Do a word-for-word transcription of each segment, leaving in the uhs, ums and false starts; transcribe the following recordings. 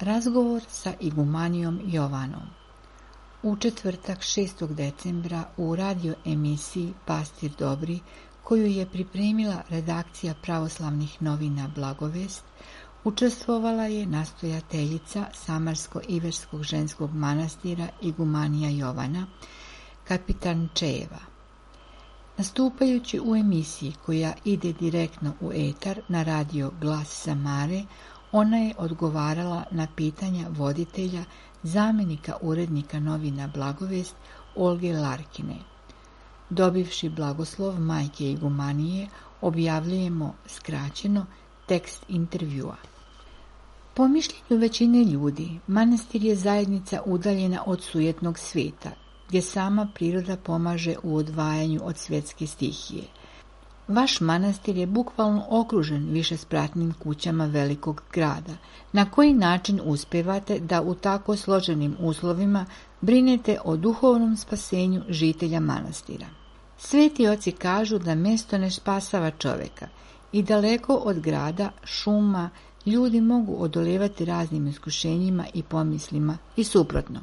Razgovor sa igumanijom Jovanom. U četvrtak šestog decembra u radio emisiji Pastir Dobri, koju je pripremila redakcija pravoslavnih novina Blagovest, učestvovala je nastojateljica Samarsko-Iverskog ženskog manastira igumanija Jovana, kapitan Čejeva. Nastupajući u emisiji koja ide direktno u etar na radio Glas Samare, ona je odgovarala na pitanja voditelja, zamjenika urednika novina Blagovest Olge Larkine. Dobivši blagoslov majke igumanije, objavljujemo skraćeno tekst intervjua. Po mišljenju većine ljudi, manastir je zajednica udaljena od sujetnog svijeta, gdje sama priroda pomaže u odvajanju od svjetske stihije. Vaš manastir je bukvalno okružen višespratnim kućama velikog grada. Na koji način uspevate da u tako složenim uslovima brinete o duhovnom spasenju žitelja manastira? Sveti oci kažu da mjesto ne spasava čovjeka i daleko od grada, šuma, ljudi mogu odolevati raznim iskušenjima i pomislima i suprotno.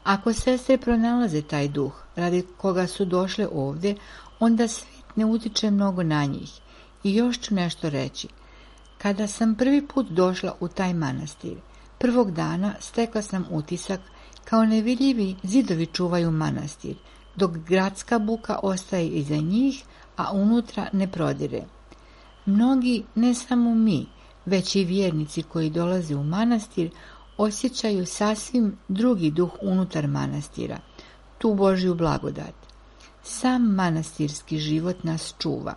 Ako sestre pronalaze taj duh radi koga su došle ovdje, onda svijet ne utiče mnogo na njih. I još ću nešto reći. Kada sam prvi put došla u taj manastir, prvog dana stekla sam utisak kao nevidljivi zidovi čuvaju manastir, dok gradska buka ostaje iza njih, a unutra ne prodire. Mnogi, ne samo mi, već i vjernici koji dolaze u manastir, osjećaju sasvim drugi duh unutar manastira, tu Božju blagodat. Sam manastirski život nas čuva.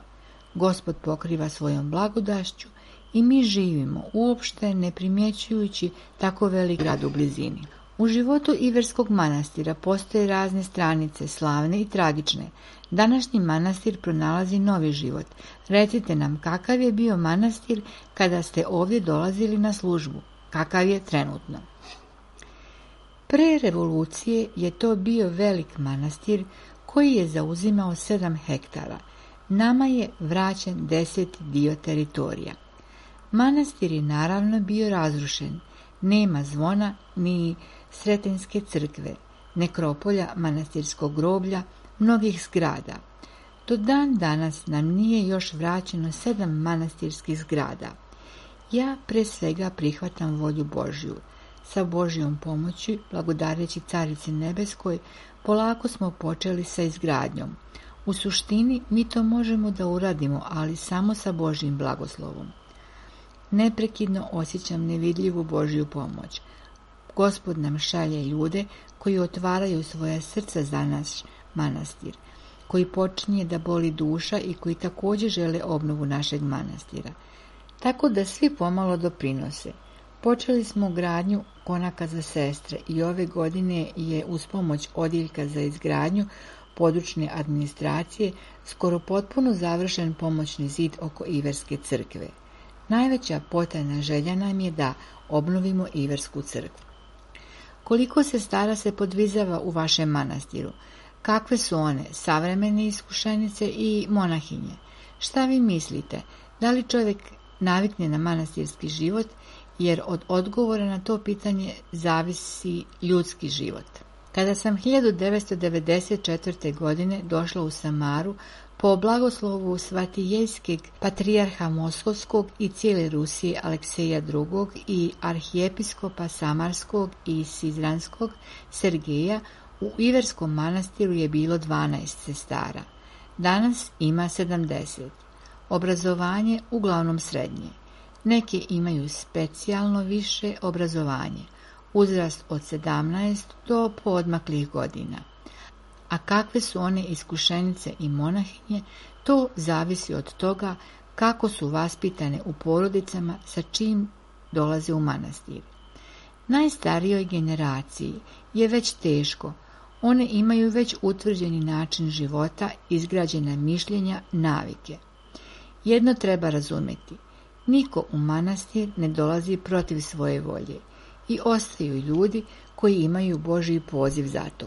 Gospod pokriva svojom blagodašću i mi živimo uopšte ne primjećujući tako velik grad u blizini. U životu Iverskog manastira postoje razne stranice, slavne i tragične. Današnji manastir pronalazi novi život. Recite nam kakav je bio manastir kada ste ovdje dolazili na službu, kakav je trenutno. Pre revolucije je to bio velik manastir koji je zauzimao sedam hektara. Nama je vraćen deseti dio teritorija. Manastir je naravno bio razrušen. Nema zvona ni Sretenske crkve, nekropolja, manastirskog groblja, mnogih zgrada. Do dan danas nam nije još vraćeno sedam manastirskih zgrada. Ja pre svega prihvatam volju Božju. Sa Božjom pomoći, blagodareći Carici Nebeskoj, polako smo počeli sa izgradnjom. U suštini mi to možemo da uradimo, ali samo sa Božjim blagoslovom. Neprekidno osjećam nevidljivu Božju pomoć. Gospod nam šalje ljude koji otvaraju svoja srca za naš manastir, koji počinje da boli duša i koji također žele obnovu našeg manastira. Tako da svi pomalo doprinose. Počeli smo gradnju konaka za sestre i ove godine je uz pomoć odjeljka za izgradnju područne administracije skoro potpuno završen pomoćni zid oko Iverske crkve. Najveća potajna želja nam je da obnovimo Iversku crkvu. Koliko sestara se podvizava u vašem manastiru? Kakve su one, savremene iskušenice i monahinje? Šta vi mislite? Da li čovjek navikne na manastirski život, jer od odgovora na to pitanje zavisi ljudski život. Kada sam hiljadu devetsto devedeset četvrte. godine došla u Samaru, po blagoslovu svatijejskog patrijarha Moskovskog i cijele Rusije Alekseja drugog. i arhijepiskopa Samarskog i Sizranskog Sergeja, u Iverskom manastiru je bilo dvanaest sestara. Danas ima sedamdeset. Obrazovanje uglavnom srednje. Neke imaju specijalno više obrazovanje, uzrast od sedamnaest do poodmaklih godina. A kakve su one iskušenice i monahinje, to zavisi od toga kako su vaspitane u porodicama sa čim dolaze u manastir. Najstarijoj generaciji je već teško, one imaju već utvrđeni način života, izgrađena mišljenja, navike. Jedno treba razumjeti. Niko u manastir ne dolazi protiv svoje volje i ostaju ljudi koji imaju Božji poziv za to.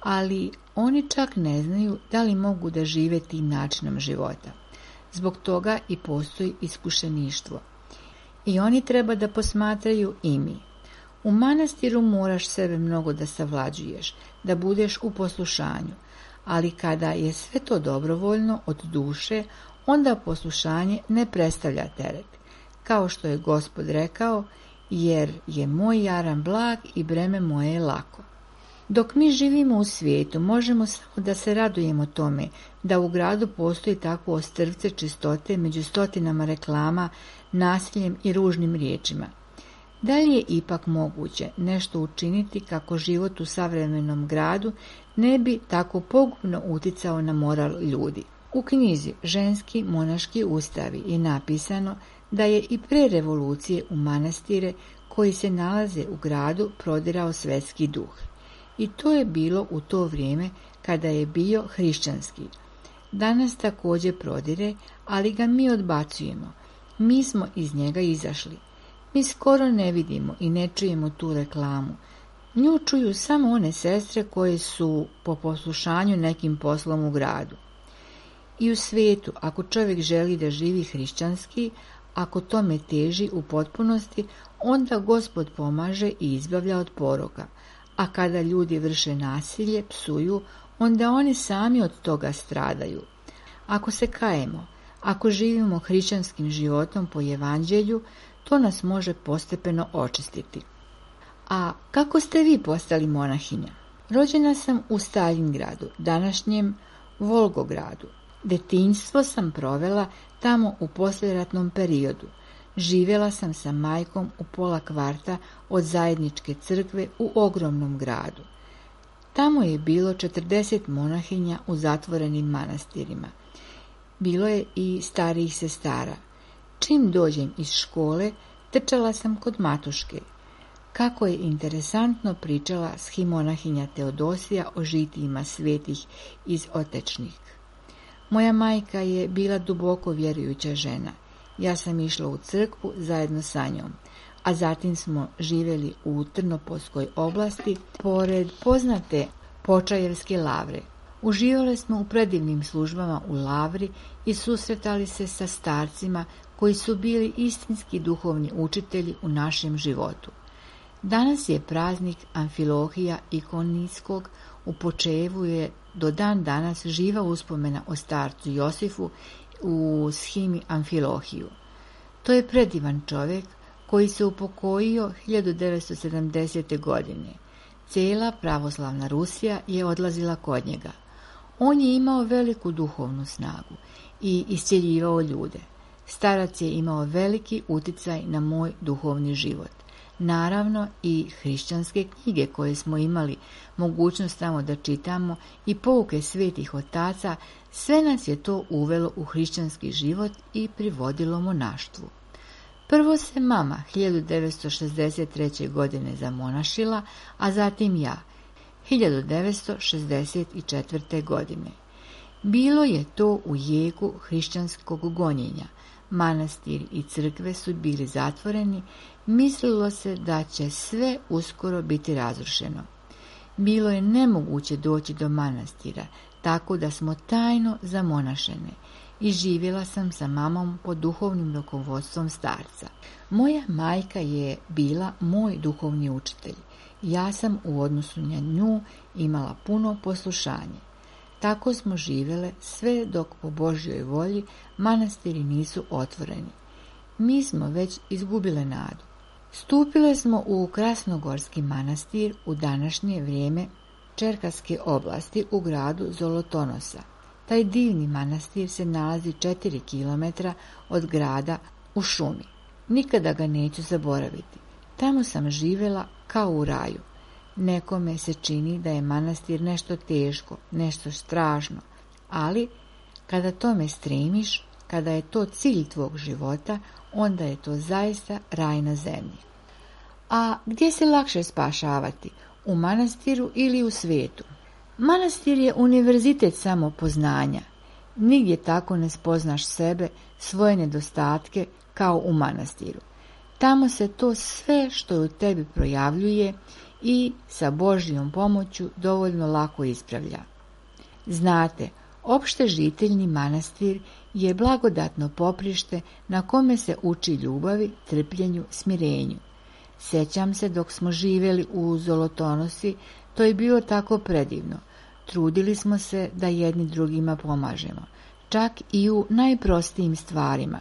Ali oni čak ne znaju da li mogu da žive tim načinom života. Zbog toga i postoji iskušeništvo. I oni treba da posmatraju i mi. U manastiru moraš sebe mnogo da savlađuješ, da budeš u poslušanju, ali kada je sve to dobrovoljno od duše, onda poslušanje ne predstavlja teret. Kao što je Gospod rekao, jer je moj jaram blag i breme moje je lako. Dok mi živimo u svijetu, možemo samo da se radujemo tome da u gradu postoji takvo ostrvce čistote među stotinama reklama, nasiljem i ružnim riječima. Da li je ipak moguće nešto učiniti kako život u savremenom gradu ne bi tako pogubno uticao na moral ljudi? U knjizi Ženski monaški ustavi je napisano da je i pre revolucije u manastire koji se nalaze u gradu prodirao svetski duh. I to je bilo u to vrijeme kada je bio hrišćanski. Danas također prodire, ali ga mi odbacujemo. Mi smo iz njega izašli. Mi skoro ne vidimo i ne čujemo tu reklamu. Nju čuju samo one sestre koje su po poslušanju nekim poslom u gradu. I u svijetu, ako čovjek želi da živi hrišćanski, ako tome teži u potpunosti, onda Gospod pomaže i izbavlja od poroka. A kada ljudi vrše nasilje, psuju, onda oni sami od toga stradaju. Ako se kajemo, ako živimo hrišćanskim životom po evanđelju, to nas može postepeno očistiti. A kako ste vi postali monahinja? Rođena sam u Staljingradu, današnjem Volgogradu. Detinjstvo sam provela tamo u poslijeratnom periodu. Živjela sam sa majkom u pola kvarta od zajedničke crkve u ogromnom gradu. Tamo je bilo četrdeset monahinja u zatvorenim manastirima. Bilo je i starijih sestara. Čim dođem iz škole, trčala sam kod matuške. Kako je interesantno pričala schimonahinja Teodosija o žitijima svetih iz Otečnih. Moja majka je bila duboko vjerujuća žena. Ja sam išla u crkvu zajedno sa njom, a zatim smo živjeli u Trnopolskoj oblasti, pored poznate Počajevske lavre. Uživali smo u predivnim službama u lavri i susretali se sa starcima koji su bili istinski duhovni učitelji u našem životu. Danas je praznik Amfilohija Ikonijskog, u Počejevu je do dan danas živa uspomena o starcu Josifu u shimi Amfilohiju. To je predivan čovjek koji se upokojio hiljadu devetsto sedamdesete. godine. Cijela pravoslavna Rusija je odlazila kod njega. On je imao veliku duhovnu snagu i iscjeljivao ljude. Starac je imao veliki uticaj na moj duhovni život. Naravno i hrišćanske knjige koje smo imali mogućnost tamo da čitamo i pouke svetih otaca, sve nas je to uvelo u hrišćanski život i privodilo monaštvu. Prvo se mama hiljadu devetsto šezdeset treće. godine zamonašila, a zatim ja hiljadu devetsto šezdeset četvrte. godine. Bilo je to u jeku hrišćanskog gonjenja. Manastiri i crkve su bili zatvoreni, mislilo se da će sve uskoro biti razrušeno. Bilo je nemoguće doći do manastira, tako da smo tajno zamonašene i živjela sam sa mamom pod duhovnim rukovodstvom starca. Moja majka je bila moj duhovni učitelj. Ja sam u odnosu na nju imala puno poslušanje. Tako smo živjele sve dok po Božjoj volji manastiri nisu otvoreni. Mi smo već izgubile nadu. Stupile smo u Krasnogorski manastir u današnje vrijeme Čerkaske oblasti u gradu Zolotonosa. Taj divni manastir se nalazi četiri kilometra od grada u šumi. Nikada ga neću zaboraviti. Tamo sam živjela kao u raju. Nekome se čini da je manastir nešto teško, nešto strašno, ali kada tome stremiš, kada je to cilj tvog života, onda je to zaista raj na zemlji. A gdje se lakše spašavati? U manastiru ili u svijetu? Manastir je univerzitet samopoznanja. Nigdje tako ne spoznaš sebe, svoje nedostatke kao u manastiru. Tamo se to sve što je u tebi projavljuje i sa Božjom pomoću dovoljno lako ispravlja. Znate, opšte žiteljni manastir je blagodatno poprište na kome se uči ljubavi, trpljenju, smirenju. Sjećam se dok smo živjeli u Zolotonosi, to je bilo tako predivno. Trudili smo se da jedni drugima pomažemo, čak i u najprostijim stvarima.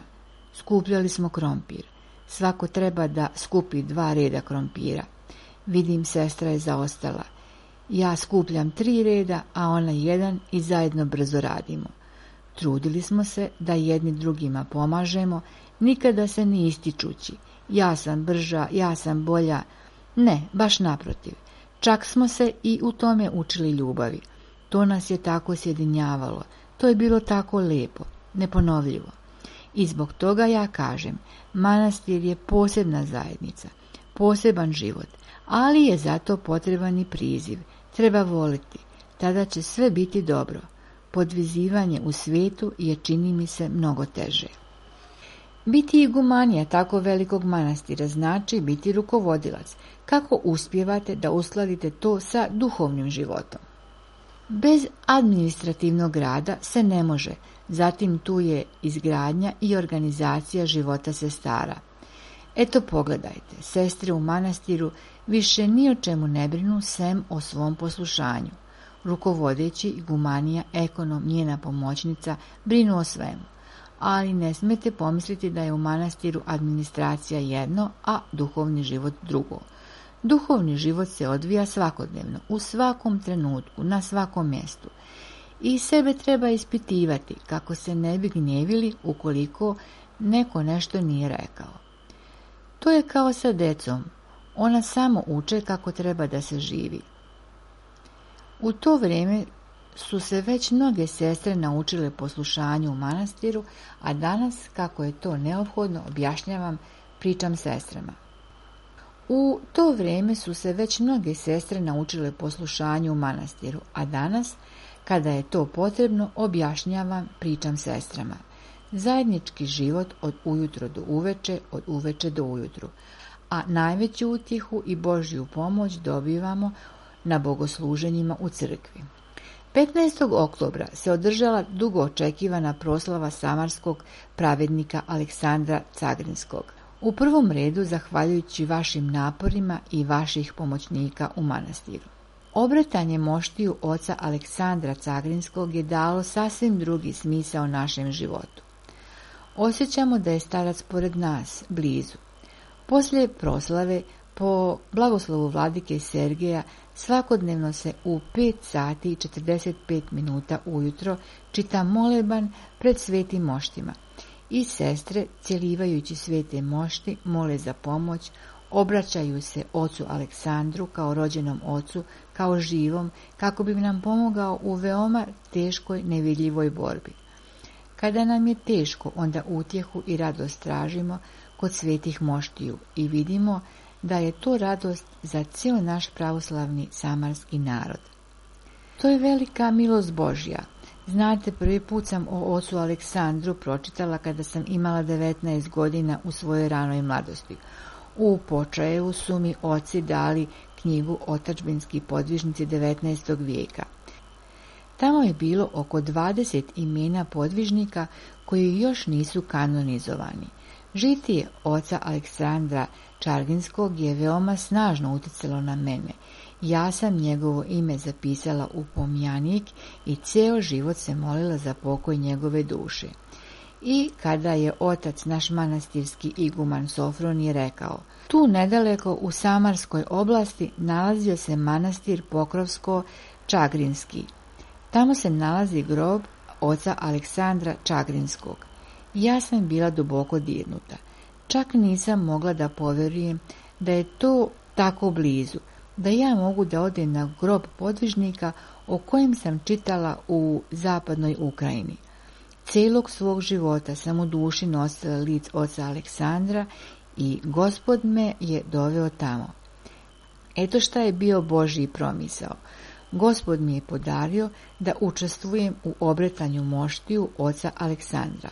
Skupljali smo krompir. Svako treba da skupi dva reda krompira. Vidim, sestra je zaostala. Ja skupljam tri reda, a ona jedan i zajedno brzo radimo. Trudili smo se da jedni drugima pomažemo, nikada se ni ističući. Ja sam brža, ja sam bolja. Ne, baš naprotiv. Čak smo se i u tome učili ljubavi. To nas je tako sjedinjavalo. To je bilo tako lepo, neponovljivo. I zbog toga ja kažem, manastir je posebna zajednica, poseban život, ali je zato potreban i priziv. Treba voliti, tada će sve biti dobro. Podvizivanje u svijetu je, čini mi se, mnogo teže. Biti igumanija tako velikog manastira znači biti rukovodilac. Kako uspijevate da uskladite to sa duhovnim životom? Bez administrativnog rada se ne može, zatim tu je izgradnja i organizacija života sestara. Eto pogledajte, sestre u manastiru više ni o čemu ne brinu sem o svom poslušanju. Rukovodeći igumanija, ekonom, njena pomoćnica brinu o svemu. Ali ne smete pomisliti da je u manastiru administracija jedno, a duhovni život drugo. Duhovni život se odvija svakodnevno, u svakom trenutku, na svakom mjestu. I sebe treba ispitivati kako se ne bi gnjevili ukoliko neko nešto nije rekao. To je kao sa decom, ona samo uče kako treba da se živi. U to vrijeme su se već mnoge sestre naučile poslušanju u manastiru, a danas, kako je to neophodno, objašnjavam, pričam sestrama. U to vrijeme su se već mnoge sestre naučile poslušanju u manastiru, a danas, kada je to potrebno, objašnjavam, pričam sestrama. Zajednički život od ujutro do uveče, od uveče do ujutru, a najveću utjehu i Božju pomoć dobivamo na bogosluženjima u crkvi. petnaestog oktobra se održala dugo očekivana proslava samarskog pravednika Aleksandra Cagrinskog. U prvom redu zahvaljujući vašim naporima i vaših pomoćnika u manastiru. Obretanje moštiju oca Aleksandra Cagrinskog je dalo sasvim drugi smisao našem životu. Osjećamo da je starac pored nas, blizu. Poslije proslave, po blagoslovu vladike Sergeja, svakodnevno se u pet sati i četrdeset pet minuta ujutro čita moleban pred svetim moštima. I sestre, cjelivajući svete mošti, mole za pomoć, obraćaju se ocu Aleksandru kao rođenom ocu, kao živom, kako bi nam pomogao u veoma teškoj, nevidljivoj borbi. Kada nam je teško, onda utjehu i radost tražimo kod svetih moštiju i vidimo da je to radost za cijel naš pravoslavni samarski narod. To je velika milost Božja. Znate, prvi put sam o ocu Aleksandru pročitala kada sam imala devetnaest godina u svojoj ranoj mladosti. U Počajevu su mi oci dali knjigu Otadžbinski podvižnici devetnaestog vijeka. Tamo je bilo oko dvadeset imena podvižnika koji još nisu kanonizovani. Žitije oca Aleksandra Čarginskog je veoma snažno utjecalo na mene. Ja sam njegovo ime zapisala u pomjanik i ceo život se molila za pokoj njegove duše. I kada je otac naš manastirski iguman Sofronije rekao, tu nedaleko u Samarskoj oblasti nalazio se manastir Pokrovsko-Čagrinski. Tamo se nalazi grob oca Aleksandra Čagrinskog. Ja sam bila duboko dirnuta. Čak nisam mogla da povjerujem da je to tako blizu, da ja mogu da odem na grob podvižnika o kojem sam čitala u zapadnoj Ukrajini. Cijelog svog života sam u duši nosila lic oca Aleksandra i Gospod me je doveo tamo. Eto šta je bio Božji promisao. Gospod mi je podario da učestvujem u obretanju moštiju oca Aleksandra.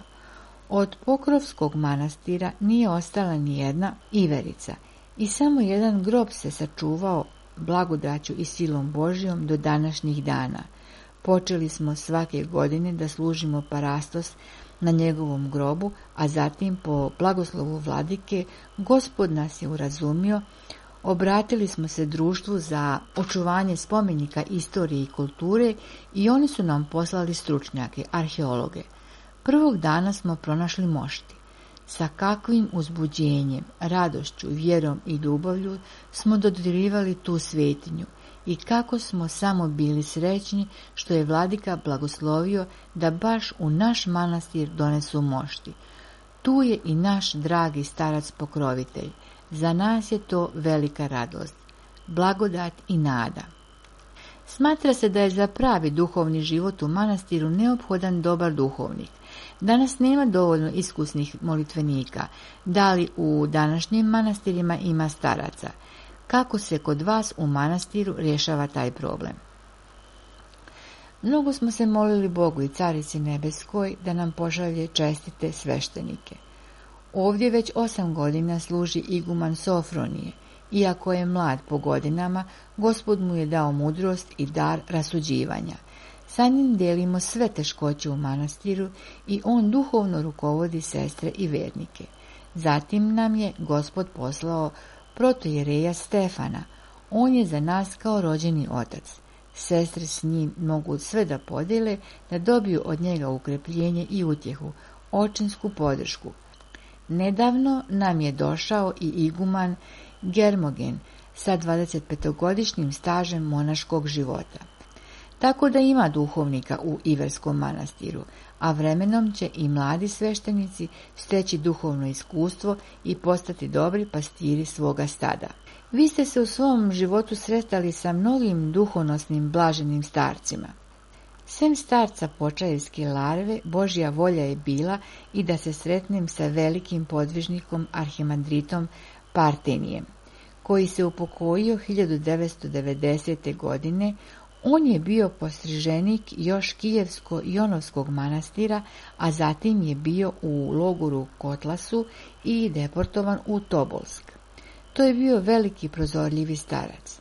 Od Pokrovskog manastira nije ostala ni jedna iverica i samo jedan grob se sačuvao blagodaću i silom Božjom do današnjih dana. Počeli smo svake godine da služimo parastos na njegovom grobu, a zatim po blagoslovu vladike, Gospod nas je urazumio. Obratili smo se društvu za očuvanje spomenika istorije i kulture i oni su nam poslali stručnjake, arheologe. Prvog dana smo pronašli mošti. Sa kakvim uzbuđenjem, radošću, vjerom i ljubavlju smo dodirivali tu svetinju i kako smo samo bili srećni što je vladika blagoslovio da baš u naš manastir donesu mošti. Tu je i naš dragi starac pokrovitelj. Za nas je to velika radost, blagodat i nada. Smatra se da je za pravi duhovni život u manastiru neophodan dobar duhovnik. Danas nema dovoljno iskusnih molitvenika. Da li u današnjim manastirima ima staraca? Kako se kod vas u manastiru rješava taj problem? Mnogo smo se molili Bogu i Carici Nebeskoj da nam pošalje čestite sveštenike. Ovdje već osam godina služi iguman Sofronije. Iako je mlad po godinama, Gospod mu je dao mudrost i dar rasuđivanja. Sa njim delimo sve teškoće u manastiru i on duhovno rukovodi sestre i vernike. Zatim nam je Gospod poslao protojereja Stefana. On je za nas kao rođeni otac. Sestre s njim mogu sve da podijele, da dobiju od njega ukrepljenje i utjehu, očinsku podršku. Nedavno nam je došao i iguman Germogen sa dvadesetpetogodišnjim stažem monaškog života. Tako da ima duhovnika u Iverskom manastiru, a vremenom će i mladi sveštenici steći duhovno iskustvo i postati dobri pastiri svoga stada. Vi ste se u svom životu sretali sa mnogim duhonosnim blaženim starcima. Sem starca Počaevske larve, Božja volja je bila i da se sretnem sa velikim podvižnikom arhimandritom Partenijem, koji se upokojio hiljadu devetsto devedesete. godine. On je bio postriženik još Kijevsko-Jonovskog manastira, a zatim je bio u logoru Kotlasu i deportovan u Tobolsk. To je bio veliki prozorljivi starac.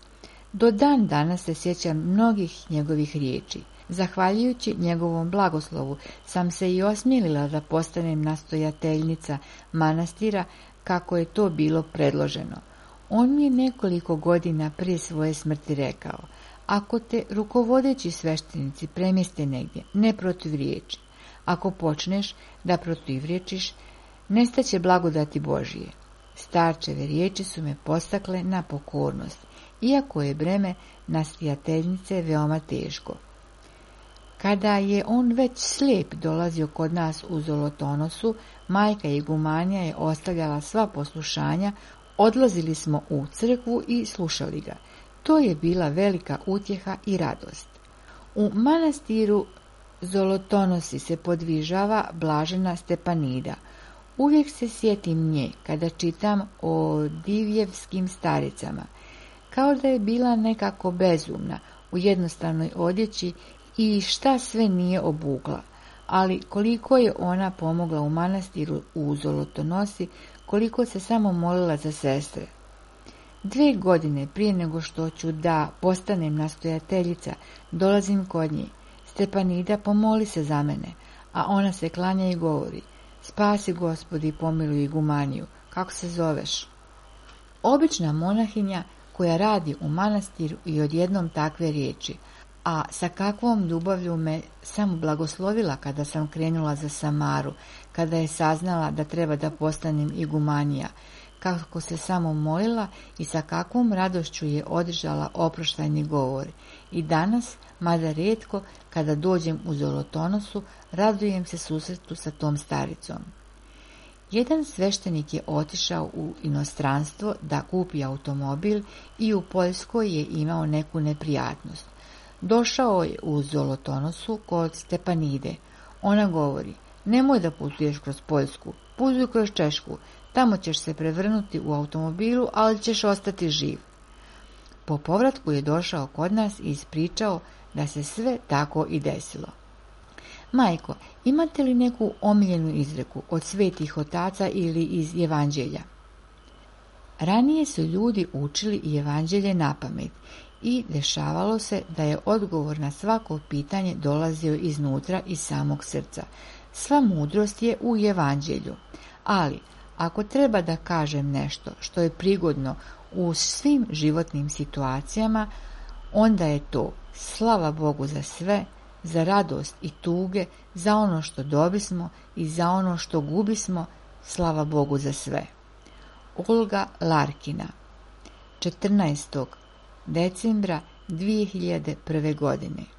Do dan danas se sjećam mnogih njegovih riječi. Zahvaljujući njegovom blagoslovu sam se i osmjelila da postanem nastojateljnica manastira kako je to bilo predloženo. On mi je nekoliko godina prije svoje smrti rekao: ako te rukovodeći sveštenici premjeste negdje, ne protivriječi. Ako počneš da protivriječiš, nestaće blagodati Božije. Starčeve riječi su me postakle na pokornost, iako je breme nastojateljnice veoma teško. Kada je on već slijep dolazio kod nas u Zolotonosu, majka igumanija je ostavljala sva poslušanja, odlazili smo u crkvu i slušali ga. To je bila velika utjeha i radost. U manastiru Zolotonosi se podvižava blažena Stepanida. Uvijek se sjetim nje kada čitam o divjevskim staricama, kao da je bila nekako bezumna u jednostavnoj odjeći i šta sve nije obukla, ali koliko je ona pomogla u manastiru u Zolotonosi, koliko se samo molila za sestre. Dve godine prije nego što ću da postanem nastojateljica, dolazim kod nje. Stepanida, pomoli se za mene, a ona se klanja i govori: spasi Gospodi i pomiluj igumaniju, kako se zoveš? Obična monahinja koja radi u manastiru i odjednom takve riječi, a sa kakvom ljubavlju me samo blagoslovila kada sam krenula za Samaru, kada je saznala da treba da postanem igumanija, kako se samo molila i sa kakvom radošću je održala oproštajni govor. I danas, mada rijetko, kada dođem u Zolotonosu, radujem se susretu sa tom staricom. Jedan sveštenik je otišao u inostranstvo da kupi automobil i u Poljskoj je imao neku neprijatnost. Došao je u Zolotonosu kod Stepanide. Ona govori: nemoj da putuješ kroz Poljsku, putuj kroz Češku, tamo ćeš se prevrnuti u automobilu, ali ćeš ostati živ. Po povratku je došao kod nas i ispričao da se sve tako i desilo. Majko, imate li neku omiljenu izreku od svetih otaca ili iz Evanđelja? Ranije su ljudi učili i Evanđelje napamet i dešavalo se da je odgovor na svako pitanje dolazio iznutra iz samog srca. Sva mudrost je u Evanđelju, ali ako treba da kažem nešto što je prigodno u svim životnim situacijama, onda je to slava Bogu za sve, za radost i tuge, za ono što dobismo i za ono što gubismo, slava Bogu za sve. Olga Larkina, četrnaestog decembra dvije hiljade prve godine.